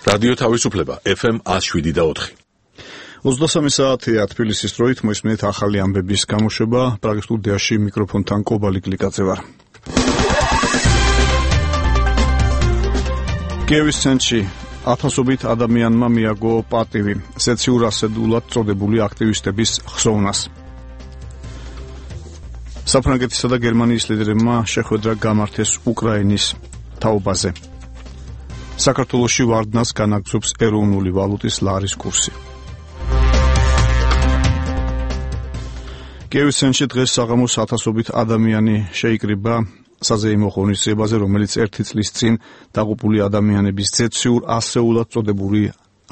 რადიო თავისუფლება FM 107.4. 23 საათია თბილისის დროით მოისმენთ ახალი ამბების გამოშვება. პრაღის სტუდიაში მიკროფონთან კობალი გლიკაძე ვარ. კიევის ცენტრში ათასობით ადამიანმა მიაგო პატივი სეციურ ასედულად წოდებული აქტივისტების ხსოვნას. საფრანგეთისა და გერმანიის ლიდერებმა შეხვედრა გამართეს უკრაინის თაობაზე. საქართველოში ვარდნას განაგრძობს ეროვნული ვალუტის ლარის კურსი. კიევის ცენტრში დღეს საღამოს ათასობით ადამიანი შეიკრიბა საზეიმო ღონისძიებაზე, რომელიც ერთი წლის წინ დაღუპული ადამიანების სეციურ ასეულად წოდებული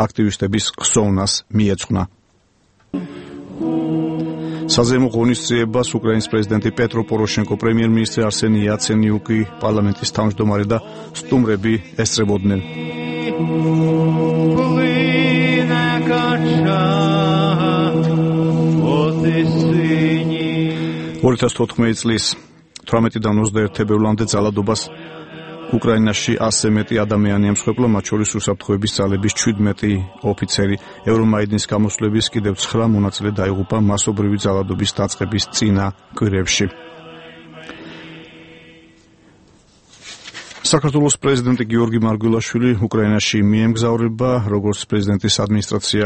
აქტივისტების ხსოვნას მიეძღვნა. საზეიმო ღონისძიებას უკრაინის პრეზიდენტი პეტრო პოროშენკო, პრემიერ-მინისტრი არსენი იაცენიუკი, პარლამენტის თავმჯდომარე და სტუმრები ესწრებოდნენ. 2014 წლის 18-დან 21 თებერვლამდე ძალადობას უკრაინაში 100-ზე მეტი ადამიანი ემსხვერპლა, მათ შორის უსაფრთხოების ძალების 17 ოფიცერი. ევრომაიდნის გამოსვლების კიდევ 9 მონაწილე დაიღუპა მასობრივი ძალადობის დაწყების წინა კვირებში. საქართველოს პრეზიდენტი გიორგი მარგველაშვილი უკრაინაში მიემგზავრება, როგორც პრეზიდენტის ადმინისტრაცია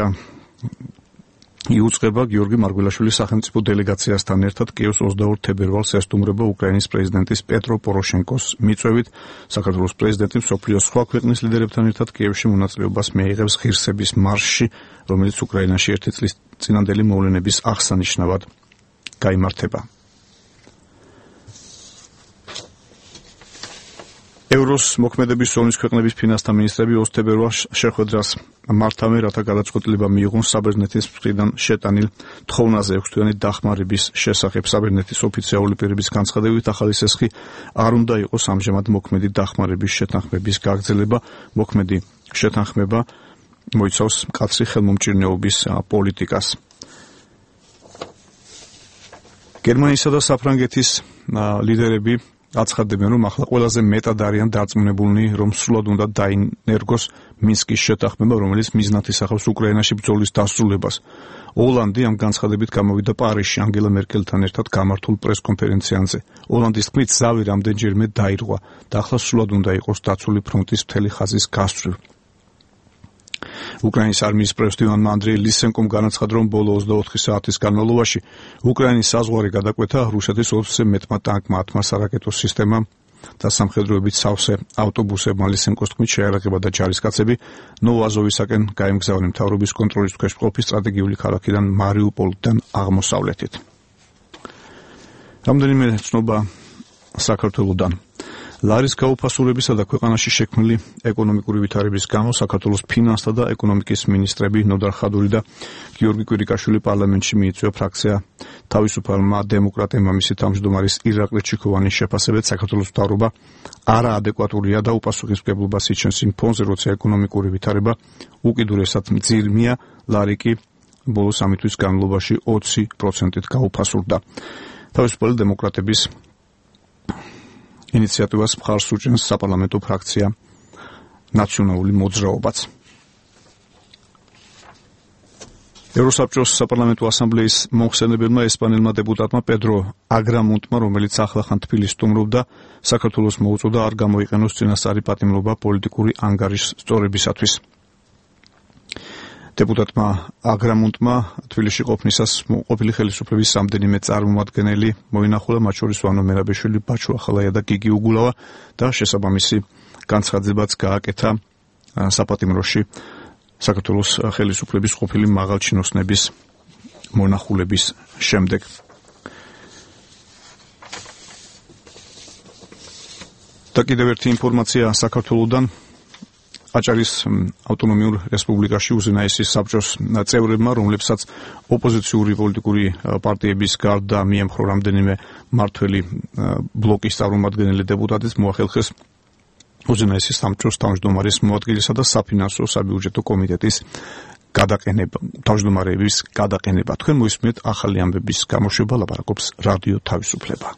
იუწყება. გიორგი მარგველაშვილი სახელმწიფო დელეგაციასთან ერთად კიევს 22 თებერვალს ესტუმრება უკრაინის პრეზიდენტის პეტრო პოროშენკოს მიწვევით. საქართველოს პრეზიდენტი მსოფლიოს სხვა ქვეყნის ლიდერებთან ერთად კიევში მონაწილეობას მიიღებს ღირსების მარშში, რომელიც უკრაინაში ერთი წლის წინანდელი მოვლენების აღსანიშნავად გაიმართება. ევროს მოქმედების ზონის ქვეყნების ფინანსთა მინისტრები 20 თებერვალს შეხვედრას მართავენ, რათა გადაწყვეტილება მიიღონ საბერძნეთის მხრიდან შეტანილ თხოვნაზე 6-თვიანი დახმარების შესახებ. საბერძნეთის ოფიციალური პირების განცხადებით, ახალი სესხი არ უნდა იყოს ამჟამად მოქმედი დახმარების შეთანხმების გაგრძელება. მოქმედი შეთანხმება მოიცავს მკაცრი ხელმომჭირნეობის პოლიტიკას. გერმანიისა და საფრანგეთის ლიდერები აცხადებენ, რომ ახლა ყველაზე მეტად არიან დარწმუნებულნი, რომ სრულად უნდა დაინერგოს მინსკის შეთანხმება, რომელიც მიზნად ისახავს უკრაინაში ბრძოლის დასრულებას. ოლანდი ამ განცხადებით გამოვიდა პარიზში ანგელა მერკელთან ერთად გამართულ პრესკონფერენციაზე. ოლანდის თქმით, ზავი რამდენჯერმე დაირღვა და ახლა სრულად უნდა იყოს დაცული ფრონტის მთელი ხაზის გასწვრივ. უკრაინის არმიის პრეზიდენტმა ანდრეი ლისენკომ განაცხადა, რომ ბოლო 24 საათის განმავლობაში უკრაინის საზღვარი გადაკვეთა რუსეთის 20-ზე მეტმა ტანკმა, 10 სარაკეტო სისტემამ და სამხედროებით სავსე ავტობუსებმა. ლისენკოს თქმით, შეიარაღება და ჯარისკაცები ნოვოაზოვისაკენ გაემგზავრნენ მთავრობის კონტროლის ქვეშ მყოფი სტრატეგიული ქალაქიდან მარიუპოლიდან აღმოსავლეთით. რამდენიმე ცნობა საქართველოდან. ლარის გაუფასურებისა და ქვეყანაში შექმნილი ეკონომიკური ვითარების გამო საქართველოს ფინანსთა და ეკონომიკის მინისტრები ნოდარ ხადური და გიორგი კვირიკაშვილი პარლამენტში მიიწვია ფრაქცია თავისუფალმა დემოკრატებმა. მისი თავმჯდომარის ირაკლი ჩიქოვანის შეფასებით, საქართველოს მთავრობა არაადეკვატურია და უპასუხისმგებლობას იჩენს იმ ფონზე, როცა ეკონომიკური ვითარება უკიდურესად მძიმეა. ლარი კი ბოლო 3 თვის განმავლობაში 20%-ით გაუფასურდა. თავისუფალი დემოკრატების ინიციატივას მხარს უჭერს საპარლამენტო ფრაქცია ნაციონალური მოძრაობაც. ევროსაბჭოს საპარლამენტო ასამბლეის მომხსენებელმა ესპანელმა დეპუტატმა პედრო აგრამონტმა, რომელიც ახლახან თბილისს სტუმრობდა, საქართველოს მოუწოდა არ გამოიყენოს წინასწარი პატიმრობა პოლიტიკური ანგარიშის სწორებისათვის. დეპუტატმა აგრამონტმა თბილისში ყოფნისას ყოფილი ხელისუფლების რამდენიმე წარმომადგენელი მოინახულა, მათ შორის ვანო მერაბეშვილი, ბაჩო ახალაია და გიგი უგულავა და შესაბამისი განცხადებაც გააკეთა საპატიმროში საქართველოს ხელისუფლების ყოფილი მაღალჩინოსნების მონახულების შემდეგ. და კიდევ ერთი ინფორმაცია საქართველოდან. აჭარის ავტონომიურ რესპუბლიკაში უზენაესის საბჭოს წევრებმა, რომლებსაც ოპოზიციური პოლიტიკური პარტიების გარდა მიემხრო რამდენიმე მმართველი ბლოკის წარმომადგენელი დეპუტატის, მოახერხეს უზენაესის საბჭოს თავმჯდომარის მოადგილესა და საფინანსო საბიუჯეტო კომიტეტის გადაყენება, თავმჯდომარეების გადაყენება. თქვენ მოისმენთ ახალი ამბების გამოშვება, ლაპარაკობს რადიო თავისუფლება.